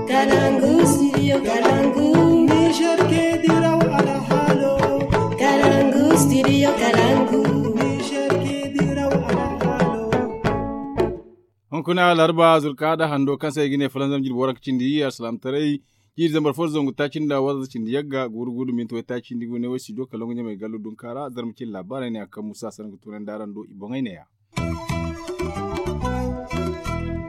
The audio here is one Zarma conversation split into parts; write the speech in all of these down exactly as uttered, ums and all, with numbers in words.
Kalangu studio kalangu. Niger ke diraw alhalo. Kalangu studio kalangu. Niger ke diraw alhalo. Hunkuna larba zurka da hando kaŋ se ay ga ne falanzam jirbi waranka cindi, alsilaamataray jiiri zambar fo da zangu taaci nda waranza cindi yagga guuru guuru minti way taaci nda gu ne way studio kalangu ɲamay gallo dunkaara zarma cin laabaarey ne a kaŋ musa sanaŋ ga tunandi araŋ do i boŋey ne ya.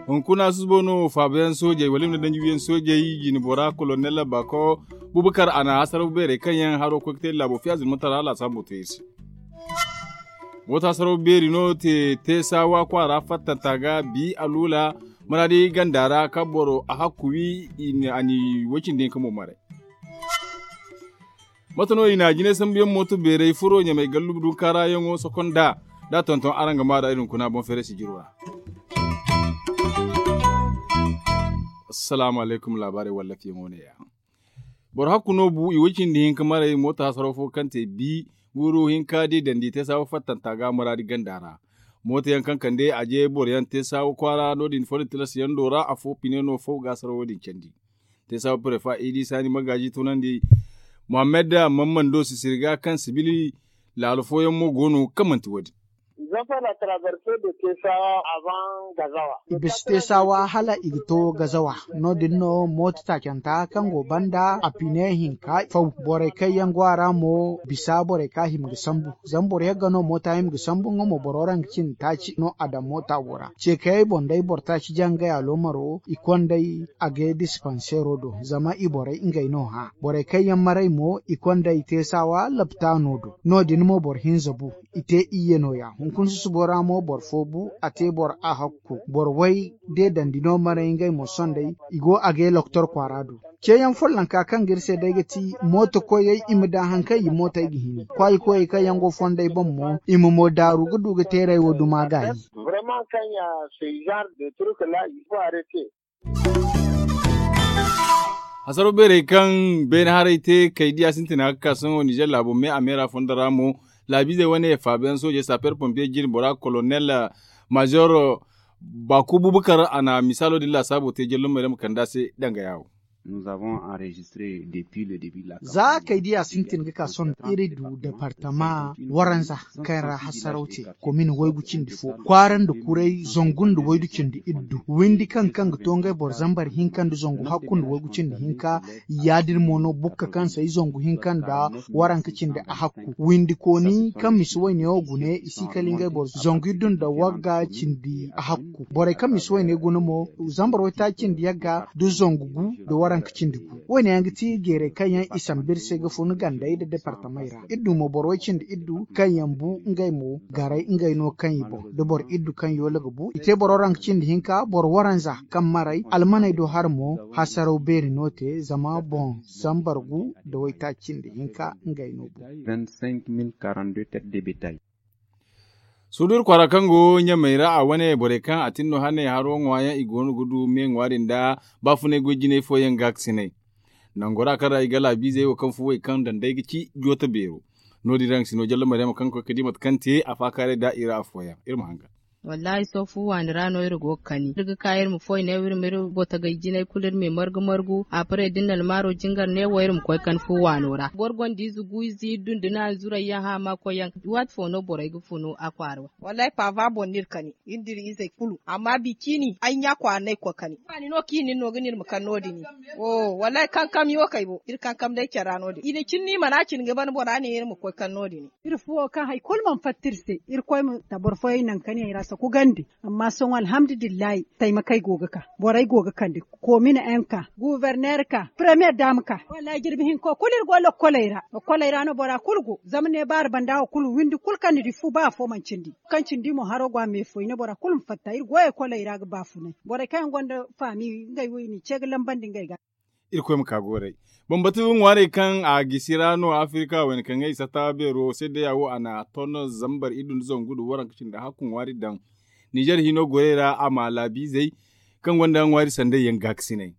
Hunkuna susubo no faabayaŋ soojey wala i ma ne danji wiyaŋ soojey jine bora kolonel bako bubakar a na hasaraw beerey kaŋ yaŋ haro koy ga te laabo fiya zurmatara laasaabo te iri se. Mooto hasaraw beeri no te teesaawa kwaara fattanta ga bi aluula maraadi ganda ra ka boro a hakku wi a ni way cindi hinka mo maray. Mate no i na jinay sambu yaŋ mooto beeray furo ɲamay gallubu dunkaara yaŋo sokonda da tonton araŋ ga maa da iri hunkuna boŋ feere sijiro ra. Assalaamu alaykum laabaarey wallafiyaŋo ne ya. Boro hakku no bu i way cindi hinka maray mooto hasaraw fo kaŋ te bi guuru hinka da i dandi te saawa fattanta ga maraadi ganda ra. Mooto yaŋ kaŋ kande a je boro yaŋ te saawa kwaara no- din fo da tilas yaŋ do ra afo pine no fo ga hasaraw wo- din candi. Te saawa prefa idi saani magaaji tunandi muhammad mammando sisiri ga kaŋ sibili laalo fooyaŋ mo go no kaŋ manti wo- din. I bisa te saawa hala i ga to gazawa. No- din no mooto taacanta kaŋ go banda a pine hinka faw. Borey kaŋ yaŋ go a ra mo bisa borey kaŋ a hima ga sambu zama boro yagga no mooto a hima ga sambu nga mo boro ranka cindi taaci no a daŋ mooto wo ra. Ce kayey boŋ day boro taaci jaŋ ngey aloomaro i konday a ga dispansero do zama i borey ngey no hã. Borey kaŋ yaŋ maray mo i konday teesawa laptaano do. No- din mo boro hinza bu i te iyye nooya hunkuna susubo ra mo boro fo bu a te boro a hakku boro way de dandi no maray ngey mo sondey i go a ga ye loktor kwaara do. Ceeyaŋ follonka kaŋ ga iri se day ga ti mooto koyey i ma daŋ hari kaŋ i mootey ga hini kwaayi koyey kaŋ yaŋ go fondey boŋ mo i ma mo daaru ga du ga teeray wo duma gaayi. Vraiment kaŋ ya se genre de truc la il faut arrêter. Hasaro beerey kaŋ beene haray te kay diya sintina ga ka sohõ nizer laabo me a meera fondo ra mo laabiizey wane faabiyaŋ soojey saper pompiye jine bora kolonel mazer baku bubakar a na misaalo din laasaabo te jallumey ra ma kand'a se danga yaawo. Za kay diya sintin ga ka sohõ iri du departama waranza kaŋ ra hasaraw te komin waygu cindi fo kwaara nda kuray zangu nda waygu cindi iddu windi kaŋ kaŋ ga to ngey boro zambar hinka nda zangu hakku nda waygu cindi hinka. Ya- din mo no bukka kaŋ se ay zangu hinka nda waranka cindi a hakku windi kooni kaŋ misi wayne wo gune i si kala ngey boro zangu iddu nda wagga cindi a hakku borey kaŋ misi wayne guna mo zambar waytaaci cindi yagga da zangu gu da waranka cindi gu. Wayne yaŋ ga ti jeerey kaŋ yaŋ i samba iri se ga fun gandey nda departamey ra iri du mo boro way cindi iri du kaŋ yaŋ bu ngey mo garay ngey no kaŋ i boŋ da boro iddu kaŋ yoola ga bu i te boro ranka cindi hinka boro waranza kaŋ maray almaney do har mo hasaraw beeri no te zama boŋ zambar gu da waytaaci cindi hinka ngey no bu. Sudur kwaara kaŋ go ɲamey ra a wane borey kaŋ a tin no hane haro ŋwaayaŋ i goono ga du me ŋwaari nda baafunay goy jinay fooyaŋ gaakasinay. Nango ra kaŋ ra i ga laabiizey wo kaŋ fuwey kaŋ daŋ day ga ci jooto beero. No- din ra nga si no jalla maryama kaŋ ga koy ga di mate kaŋ te a faakaaray da i ra afooyaŋ iri ma hangan. Wallaahi sohõ fu waani ra no iri go ga kani iri ga ka iri ma foy ne iri ma iri botogey jinay kulu iri ma i margu margu a paray da iri na almaaro jingar ne wo iri ma koy kani fu waano ra boro gonda ize gu ize iddu nda naani zurayyaŋ hã ma koyyaŋ. Waati fo no borey ga funu a kwaara wa. Wallaahi paava boŋ no iri kani iri nda iri izey kulu amma bi ciini ay ɲa kwaara no ay ga koy kani. Iri no kaŋ iri na iri no ga ne iri ma kani no- din. Wallaahi kankam yo kay bo iri kankam day care ra no- din i na cine no i mana cine ga ban bora ne iri ma koy kani no- din. Iri fuwo kaŋ hari kulu mana fatta iri se irkoy ma ta boro fooyaŋ naŋ kaŋ yaŋ i ra saku gande. Amma sohõ alhamdulillahi taymakey go ga ka borey go ga kande koomine enka guuberner ka premiyer daama ka wallaahi jirbi hinko kulu iri go lokkoley ra lokkoley ra no bora kulu go zama ne baari banda wo kulu windi kulu kaŋ ni di fu ba afo mana cindi kaŋ cindi mo haro go a me fo i ne bora kulu ma fatta iri go ekoley ra ga baafunay borey kaŋ yaŋ gonda faami ngey wo i n'i ce ga lambandi ngey ga. Irkoy ma ka gooray. Bambatu ŋwaarey kaŋ a gisi ra no afirika wayna kaŋ ay satta beero seedeya wo a na ton zambar iddu nda zangu nda waranka cindi hakku ŋwaari daŋ. Nizer hino gorey ra a ma laabiizey kaŋ gonda ŋwaari sanday yaŋ gaakasinay.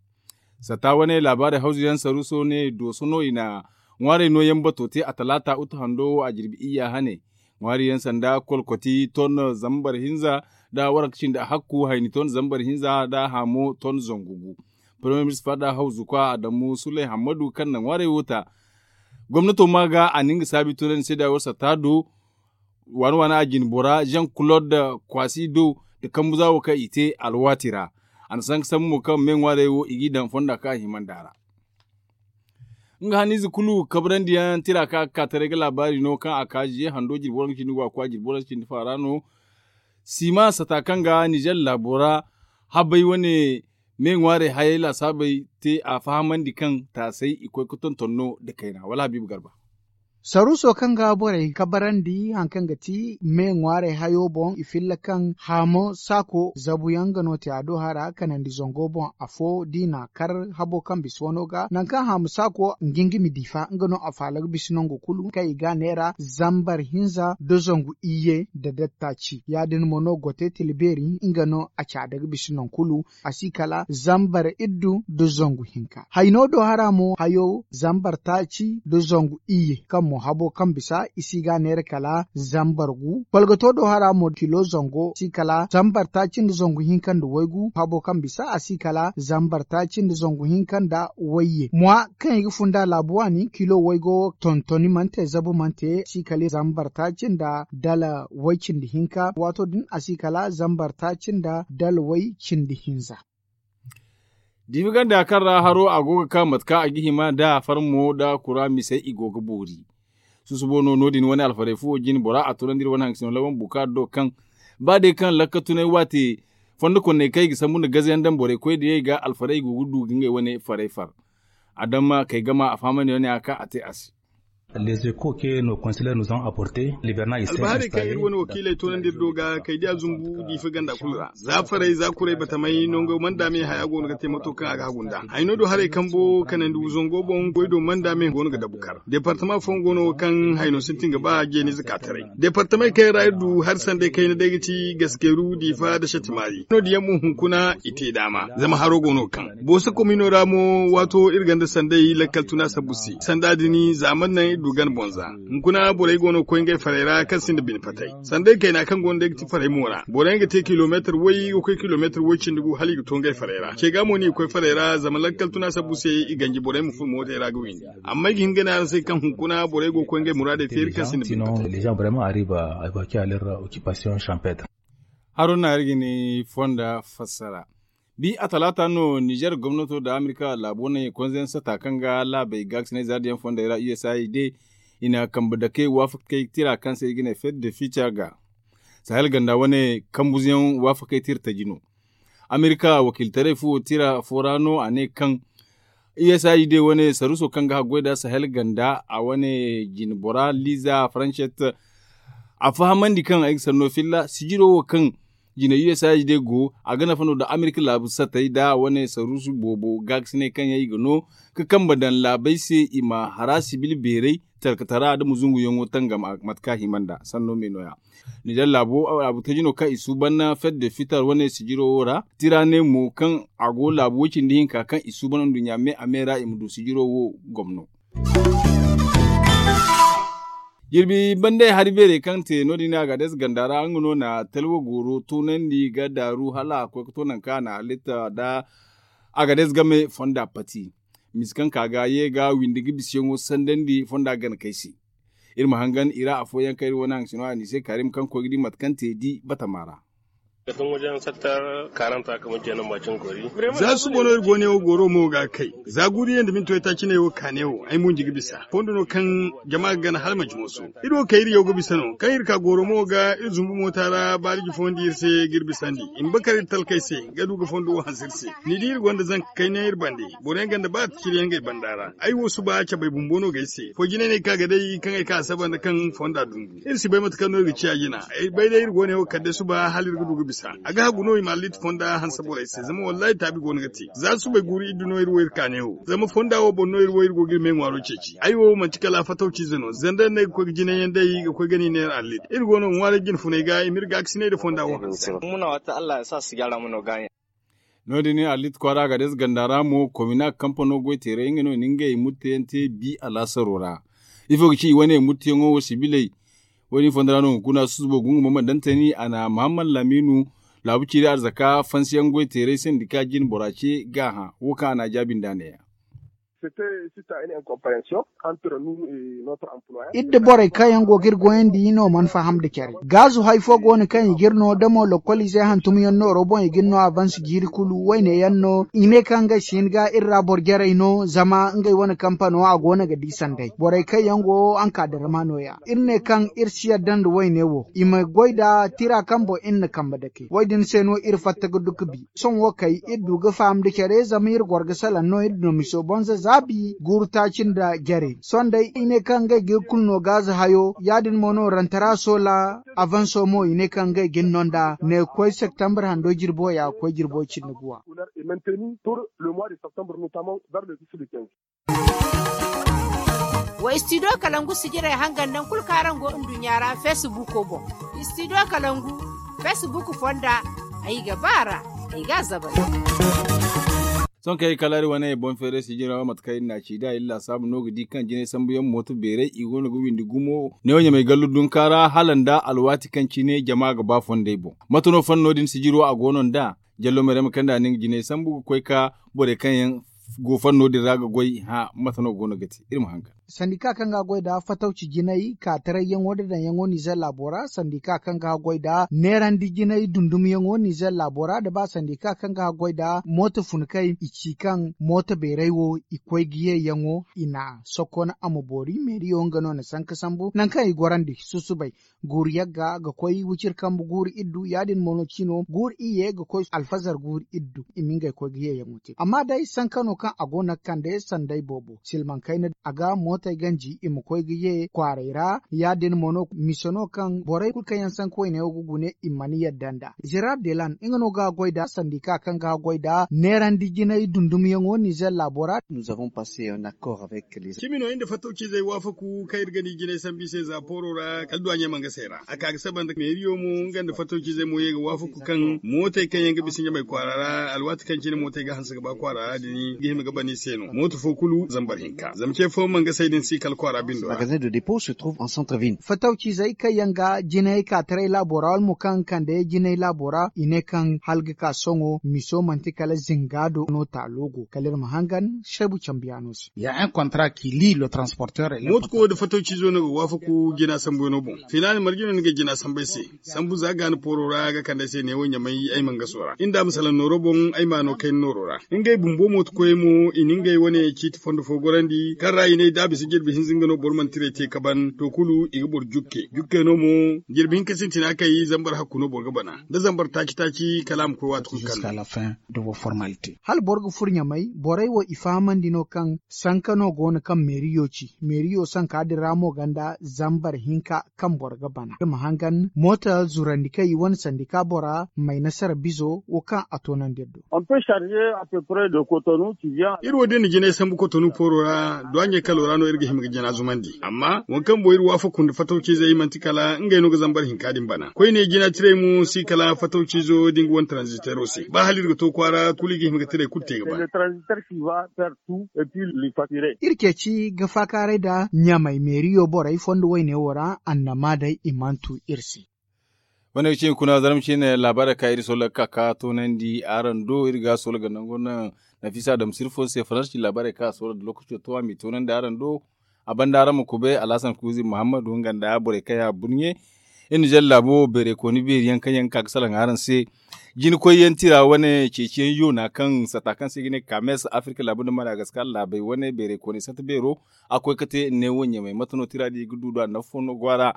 Satta wane laabaarey hawzu yaŋ saruuso ne dooso no i na ŋwaarey nooyaŋ bato te a talaata utu hando wo a jirbi iyya hane. Ŋwaari yaŋ sanda kolkoti ton zambar hinza nda waranka cindi hakku hayni ton zambar hinza nda haamo ton zangu gu. Premier Ministre fada hawzu kwa adamu suley hammadu kaŋ na ŋwaarey wo ta. Gomnato ma ga a na nga saabi tunandi se da war satta do waana waana a jine bora jean claude kwasi do nda kambu za wo kaŋ i te alwaati ra. A na sanka sambu mo kaŋ me ŋwaarey wo i g'i daŋ fonda kaŋ a himandi a ra. Nga haniize kulu kabrandi yaŋ tira kaŋ a ga ka taray ga laabaari no kaŋ a ka ziye hando jirbi waranka cindi go a kwa jirbi waranka cindi faara no. Siima sata kaŋ ga nizer laabo ra habay wane me ŋwaarey hayey laasaabey te a fahamandi kaŋ taasay i koy ga tonton no nda kayna wala habiibu garba. Saruuso kaŋ ga borey kabarandi hari kaŋ ga ti me ŋwaarey hayo boŋ i filla kaŋ haamo saako zabu yaŋ nga no te a do hara kanandi zango boŋ afo da i na kar habo kaŋ bisa wano ga nangu kaŋ haamo saako nga nga ma diifa nga no a faala ga bisa nangu kulu kaŋ i ga a neera zambar hinza nda zangu iyye nda dattaaci ya- din mo no gote tila beeri nga no a caada ga bisa nangu kulu. A si kala zambar iddu nda zangu hinka hayno do hara mo hayo zambar taaci nda zangu iyye kaŋ mo habo kaŋ bisa i si ga a neera kala zambar gu kolgato do hara mo kilo zango si kala zambar taaci nda zangu hinka nda waygu habo kaŋ bisa a si kala zambar taaci nda zangu hinka nda wayye mwa kaŋ i ga funda laabu waani kilo waygo tontoni mana te zabu mana te si kala zambar taaci nda dala way cindi hinka waato din a si kala zambar taaci nda dala way cindi hinza. Diifa ganda kaŋ ra haro a go ga ka mate kaŋ a ga hima nda farmo nda kura misey i go ga boori. Susubo no no- din wane alfarey fuwo jine bora a tunandi iri wane haŋ ga sino lawan bukaari do kaŋ ba day kaŋ lakka tunay waate fondo konney kaŋ i ga sambu nda gaze yaŋ daŋ borey koy diyey ga alfarey i go ga du ga ngey wane farey far. Adama kay gama a fahamandi wane a ka a te a se. Albahaarey kaŋ iri wane wakiiley toonandi iri do ga kay diya zumbu diifa ganda kulu ra za farey za kuray batamay nango manda me haya go no ga te mato kaŋ a ga hagu nda hayno do haray kambo kanandi wuzango boŋ goy do manda me go no ga dabu kar departama fooyaŋ go no kaŋ hayno sintin ga ba jeenize ka taray. Departamey kaŋ yaŋ ra iri du hari sanday kayna day ga ti gaskeeru diifa nda satimaari no- din yaŋ mo hunkuna i te daama zama haro go no kaŋ booso komino ra mo waato iri ganda sanday lakkal tuna sabbu se sanda din za mana naŋ iri du gana boŋ za. Hunkuna borey go no ga koy ngey farey ra kaŋ sinda bine patay sanday kayna kaŋ go no day ga ti farey mo ra borey yaŋ ga te kilomeetar way ga koy kilomeetar way cindi gu hala i ga to ngey farey ra ce ga mo no i ga koy farey ra zama lakkal tuna sabbu se i ganji borey ma furo mootey ra ga windi. Amma ay ga hin ga ne araŋ se kaŋ hunkuna borey go ga koy ngey muraadey feeri kaŋ sinda bine patay. Haruna iri ga ni fonda fassara. Bi a talaata no nizer gomnato nda amerika laabo ne konzayaŋ sata kaŋ ga laabey gaakasinay zaadiyaŋ fondey ra u s a i de i na kambe dake waafakey tira kaŋ se i ga ne fed de fica ga sahel ganda wane kambuzayaŋ waafakey tira taji no. Amerika wakiilitaray fo tira fo ra no a ne kaŋ u s a i de wane saruuso kaŋ ga haggoy nda sahel ganda a wane jine bora liza farancet a fahamandi kaŋ ay ga sanno filla sijiro wo kaŋ jine u s a i de go a ga nafa no nda amerika laabu satay nda wane saruusu boobo gaakasinay kaŋ yaŋ i ga no ga kambe daŋ laabey se i ma hara sibil beeray talkatara nda muzunguyaŋo tangam mate kaŋ a hima nda sanno me no- ya. Nizer laabo laabu taji no kaŋ i suuban na fed de fitar wane sijiro wo ra tira ne mo kaŋ a go laabu way cindi hinka kaŋ i suuban nduɲɲa me a me ra i ma du sijiro wo gomno. Jirbi banday hari beerey kaŋ te no- din a ga adez ganda ra nga no na talwa gooro toonandi ga daaru hala a koy ga to nangu kaŋ a na halitta nda a ga adez game fonda pati. Misi kaŋ ka ga ye ga windi ga bisiyaŋo sandandi fonda gana kay se. Iri ma hangan i ra afooyaŋ kaŋ iri wane haŋ sino a ni se kaarim kaŋ koy ga di mate kaŋ te di batama ra. Za suba no iri go ne wo goro mo ga kay za guuriyaŋ da minti waytaaci ne wo ka ne wo ay mo nji ga bisa fondo no kaŋ jama ga gana hala manci mooso. Iri wo kay iri yaw ga bisa no kaŋ iri ka goro mo ga iri zumbu moota ra baaliji foondi iri se ga iri bisandi i ma bakar iri talkay se ga du ga fondo wo hanse iri se. Ni di iri gonda zanka kayna iri bande boro yaŋ ganda ba a ta ciri yaŋ ga ay banda ra ay wo suba cabay bumbo no ga ay se fo jinay no ay ka ga day kaŋ ay ka a saba nda kaŋ fonda dungu iri si bay mate kaŋ no iri ga ciya jina. Ay bay day iri go ne wo kala day suba hala iri ga du ga bisa a ga hagu no i ma alliiti fonda hanse borey se zama wallahi taabi go no ga te za subay guuru iri du no iri wo iri ka ne wo zama fonda wo boŋ no iri wo iri go ga iri me ŋwaaro ceeci ay wo manti kala fatawciize no zandar no ay ga koy ga jinay yaŋ day ga koy ga ni neera alliiti iri go no ŋwaaray jine funay ga i ma iri gaakasinay nda fonda wo hanse. No- din alliiti kwaara ga day ganda ra mo komina kampano goy teeray nga no i na ngey murteyaŋ te bi alaasaro ra. Ifo ga ci i wane murteyaŋo wo sibiley wo- din fonda ra no hunkuna susubo gungu mama dantani a na muhammad laminu Laabu ciiri arzaka fansiyaŋ goy teeray sandika jin bora ce gaaha wo kaŋ a n'a jaabi nd'a neeya. Iri nda borey kaŋ yaŋ go ga iri goyandi no mana faham nda care. Gaazu hay fo go no kaŋ i ga iri no da mo lokkol izey hantum yaŋ nooro boŋ i ga iri no avans jiiri kulu wayne yaŋ no i ne kaŋ ngey si hin ga iri ra boro jarey no zama ngey wane kampano a go no ga di sanday borey kaŋ yaŋ go ankadarma no- ya. Iri ne kaŋ iri si yadda nda wayne wo i ma goy nda tira kaŋ boŋ iri na kambe dake wo- din se no iri fatta ga du ga bi. Sohõ wo kay iri du ga faham nda care zama iri goro ga salaŋ no iri dina miso bonza zaabi guuru taaci nda jare sohõ day i ne kaŋ ngey ga iri kulu no gaaza hayo ya- din mo no rantara soola. Avanso mo i ne kaŋ ngey ga ni no nd'a ne ga koy septembre hando jirbo ya ga koy jirbo cindi guwa. Wa istidiyo kalangu sijirey hangan naŋ kulu kaŋ araŋ go nduɲɲa ra feesibuuko boŋ. Istidiyo kalangu feesibuuku fonda ay ga ba a ra. Ay ga a zabari. Sohõ kaŋ ay kalaari wane boŋ feeray sijira mate kaŋ iri n'a ci da iri laasaabu no ga di kaŋ jinay sambuyaŋ mooto beeray i go no ga windi gumo neewo ɲamay gallu dunka ra hala nda alwaati kaŋ cine jama ga ba fondey boŋ. Mate no fanno din sijiro a go no nd'a jallo meerey ma kande a na nga jinay sambu ga koy ka borey kaŋ yaŋ go fanno din ra ga goy hã mate no go no ga te iri ma haŋ ga. Sandika kaŋ ga goy nda fatawci jinay kaataray yaŋo nda daŋ yaŋo nizer laabo ra sandika kaŋ ga goy nda neerandi jinay dundum yaŋo nizer laabo ra nda ba sandika kaŋ ga goy nda mooto fun kay i ci kaŋ mooto beeray wo i koy ga ye yaŋo i na sokon a ma boori meeriyo nga no na sanka sambu nangu kaŋ i gorandi susubay guuru yagga ga koy wiciri kambe guuru iddu ya- din mo no cino guuru iyye ga koy alfazar guuru iddu i ma ngey koy ga yeeyaŋo te amma day sanka no kaŋ a go no ga kande sanday boobo silmaŋ kayna a ga mootey ganji i ma koy ga ye kwaaray ra ya- din mo no mise no kaŋ borey kulu kaŋ yaŋ sanka wayne wo ga gune i mana yadda nd'a gerard delan nga no ga goy nda sandika kaŋ ga goy nda neerandi jinay dundumyaŋo nizer laabo ra. Cimi no iri nda fattawciizey waafaku kaŋ iri ga ni jinay sambu i se za pooro ra kala duwaaɲey mana ga se ra a ka ga saba nda meeriyo mo nga nda fattawciizey mo ye ga waafaku kaŋ mootey kaŋ yaŋ ga bisa ɲamay kwaara ra alwaati kaŋ cine mootey ga hanse ga ba kwaara ra din ga hima ga ban i se no mooto fo kulu zambar hinka zama ce fo mana ga say din si kala kwaara bindo ra. Fattawciizey kaŋ yaŋ ga jinay ka taray laabo ra wala mo kaŋ ga kande jinay laabo ra i ne kaŋ hala ga ka sohõ miso manti kala zinga do no taalo go kala iri ma hangan seebu cambiyaano se. Mootuko da fatawciizo no ga waafaku jina sambuyaŋo boŋ. Filaana marje no ni ga jina sambu ay se. Sambu za ga ni pooro ra ga kande ay se neewo ɲamay ay ma nga soora inda ma salaŋ nooro boŋ ay ma no kayna nooro ra. Ngey bumbo mootukoyey mo i na ngey wane ciiti fondo fo gorandi kaŋ ra i ne da a bisa jirbi hinza nga no boro mana tiray te ka ban to kulu i ga boro jukke jukke no mo. Jirbi hinka sintina kay zambar hakku no boro ga bana da zambar taaci taaci kala a ma koy waati kulu kaŋ no. Hala boro ga furo ɲamay borey wo i fahamandi no kaŋ sanka no go no kaŋ meeriyo ci meeriyo sanka din ra mo ganda zambar hinka kaŋ boro ga bana iri ma hangan mooto zurandi kaŋ i wane sandika bora may nasara bizo wo kaŋ a toonandi iri do. Iri wo da iri na jinay sambu kotonu pooro ra duwaaɲey kalo ra no iri ga hima ga jina zumandi amma waŋ kaŋ boŋ iri waafaku nda fatawciizey manti kala ngey no ga zambar hinka din bana koyne jina tiray mo si kala fatawciizo da nga wane tranzitero se ba hala iri ga to kwaara kulu i ga hima ga tiray kulu te ga bana. Iri ceeci ga faakaaray nda ɲamay meeriyo borey fondo wayne wo ra annama day i mana tu iri se. Wane ga cine kuna zarma cine laabaarey kaŋ iri solo ga ka ka toonandi araŋ do iri ga solo ga nango naŋ nafisa dam sirfo se faransi laabaarey kaŋ a solo da lokaco to a m'i toonandi araŋ do. A banda araŋ ma kubay alhasan kuuzi muhammadu nga nda borey kaŋ yaŋ a burɲe. Iri na jalla laabo beeray kooni beeri yaŋ kaŋ yaŋ ga ka ga salaŋ araŋ se. Jina koyyaŋ tira wane ceeciyaŋ yoona kaŋ sata kaŋ se i ga ne kames afirka laabu nda madagaskar laabey wane beeray kooney sata beero a koy ga te neewo ɲamay mate no tira din i ga du nd'a nafa fo no go a ra.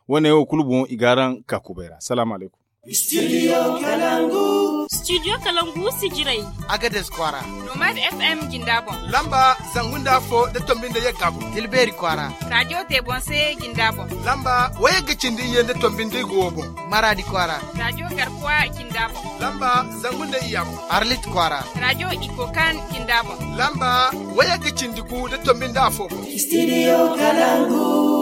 Wane wo kulu boŋ i ga araŋ ka kubay ra salaamu alaykum. Studio kalangu. Studio kalangu sijirey. Agades kwaara. Nomad fm jinda boŋ. Lamba zangu nda afo nda tombi nda yagga boŋ. Tilbeeri kwaara. Radio tebonse jinda boŋ. Lamba wayagga cindi iyye nda tombi nda igo wo boŋ. Maradi kwaara. Radio garkuwa jinda boŋ. Lamba zangu nda iyya boŋ. Arlit kwaara. Radio ikokan jinda boŋ. Lamba wayagga cindi gu nda tombi nda afo boŋ. Studio kalangu.